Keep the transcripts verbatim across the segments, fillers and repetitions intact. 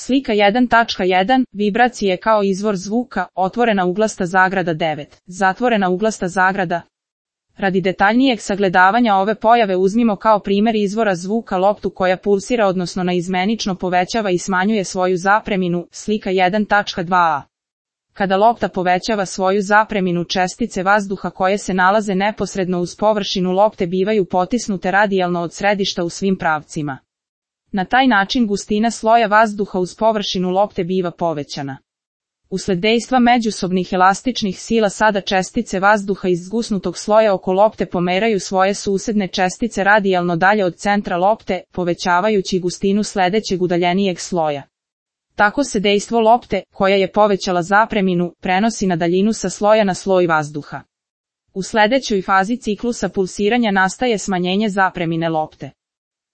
Slika jedan tačka jedan. Vibracije kao izvor zvuka, otvorena uglasta zagrada devet, zatvorena uglasta zagrada. Radi detaljnijeg sagledavanja ove pojave uzmimo kao primjer izvora zvuka loptu koja pulsira odnosno naizmenično povećava i smanjuje svoju zapreminu, slika jedan tačka dva a. Kada lopta povećava svoju zapreminu, čestice vazduha koje se nalaze neposredno uz površinu lopte bivaju potisnute radijalno od središta u svim pravcima. Na taj način gustina sloja vazduha uz površinu lopte biva povećana. Usled dejstva međusobnih elastičnih sila sada čestice vazduha iz zgusnutog sloja oko lopte pomeraju svoje susedne čestice radijalno dalje od centra lopte, povećavajući gustinu sledećeg udaljenijeg sloja. Tako se dejstvo lopte, koja je povećala zapreminu, prenosi na daljinu sa sloja na sloj vazduha. U sledećoj fazi ciklusa pulsiranja nastaje smanjenje zapremine lopte.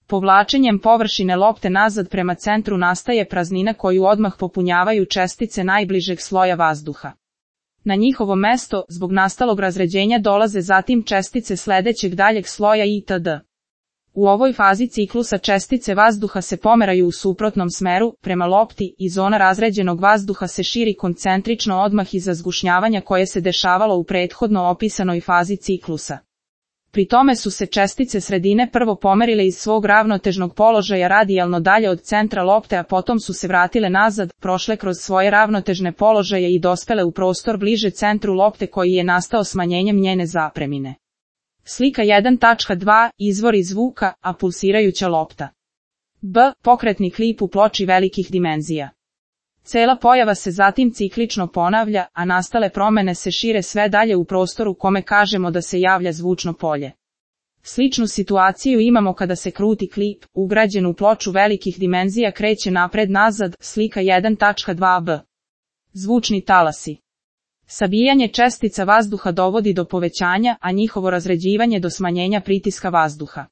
Povlačenjem površine lopte nazad prema centru nastaje praznina koju odmah popunjavaju čestice najbližeg sloja vazduha. Na njihovo mesto, zbog nastalog razređenja dolaze zatim čestice sledećeg daljeg sloja itd. U ovoj fazi ciklusa čestice vazduha se pomeraju u suprotnom smeru, prema lopti, i zona razređenog vazduha se širi koncentrično odmah iza zgušnjavanja koje se dešavalo u prethodno opisanoj fazi ciklusa. Pri tome su se čestice sredine prvo pomerile iz svog ravnotežnog položaja radijalno dalje od centra lopte, a potom su se vratile nazad, prošle kroz svoje ravnotežne položaje i dospele u prostor bliže centru lopte koji je nastao smanjenjem njene zapremine. Slika jedan tačka dva. Izvori zvuka, a pulsirajuća lopta. B. Pokretni klip u ploči velikih dimenzija. Cela pojava se zatim ciklično ponavlja, a nastale promene se šire sve dalje u prostoru kome kažemo da se javlja zvučno polje. Sličnu situaciju imamo kada se kruti klip, ugrađen u ploču velikih dimenzija, kreće napred-nazad, slika jedan tačka dva b. Zvučni talasi. Sabijanje čestica vazduha dovodi do povećanja, a njihovo razređivanje do smanjenja pritiska vazduha.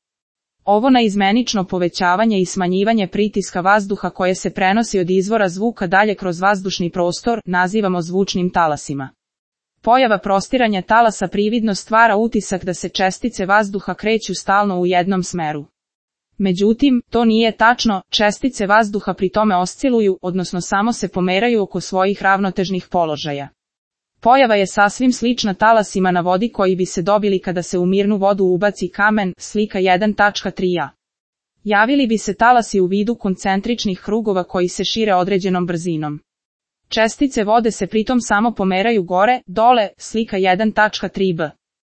Ovo naizmenično povećavanje i smanjivanje pritiska vazduha koje se prenosi od izvora zvuka dalje kroz vazdušni prostor nazivamo zvučnim talasima. Pojava prostiranja talasa prividno stvara utisak da se čestice vazduha kreću stalno u jednom smeru. Međutim, to nije tačno, čestice vazduha pri tome osciluju, odnosno samo se pomeraju oko svojih ravnotežnih položaja. Pojava je sasvim slična talasima na vodi koji bi se dobili kada se u mirnu vodu ubaci kamen, slika jedan tačka tri a. Javili bi se talasi u vidu koncentričnih krugova koji se šire određenom brzinom. Čestice vode se pritom samo pomeraju gore, dole, slika jedan tačka tri b.